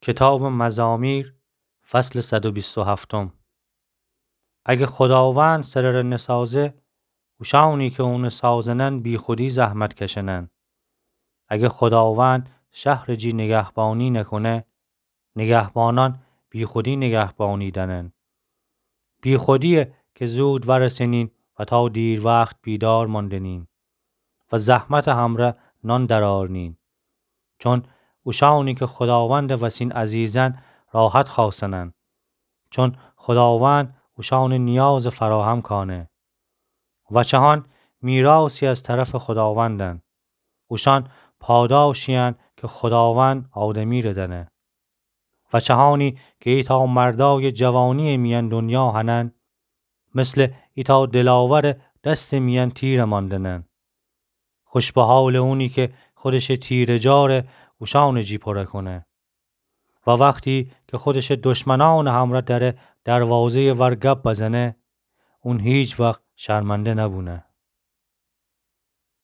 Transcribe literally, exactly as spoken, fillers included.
کتابٚ مزامیر، فصلٚ صد و بیست و هفتم. اگه خوداوند سرٚ ره نسازه، اوشأنی که اونٚ سازنن بیخودی زحمت کشنن. اگه خوداوند شهرٚ جی نگهبانی نکونه، نگهبانأن بیخودی نگهبانی دأنن. بیخودییه که زود وأرسنین و تا دیروخت بیدار ماندنین و زحمتٚ همرأ نان درآرنین. چون اوشأنی که خوداوندٚ وسین عزیزن راحت خوأسنن. چون خوداوند اوشأنٚ نیازٚ فراهم کانه. وچهأن میراثی از طرفٚ خوداوندن. اوشأن پاداشیین که خوداوند آدمیره دأنه. وچهأنی که ایتأ مردأیٚ جوانییٚ میأن دنیا هنن، مثلٚ ایتأ دلاورٚ دستٚ میأن تیره ماندنن. خوش به حالٚ اونی که خودشٚ تیره‌جاره اوشأنٚ جی پوره کونه. و وختی که خودشٚ دشمنأنٚ همرأ دره دروازه‌یٚ ور گب بزنه، اون هیچ وخت شرمنده نبونه.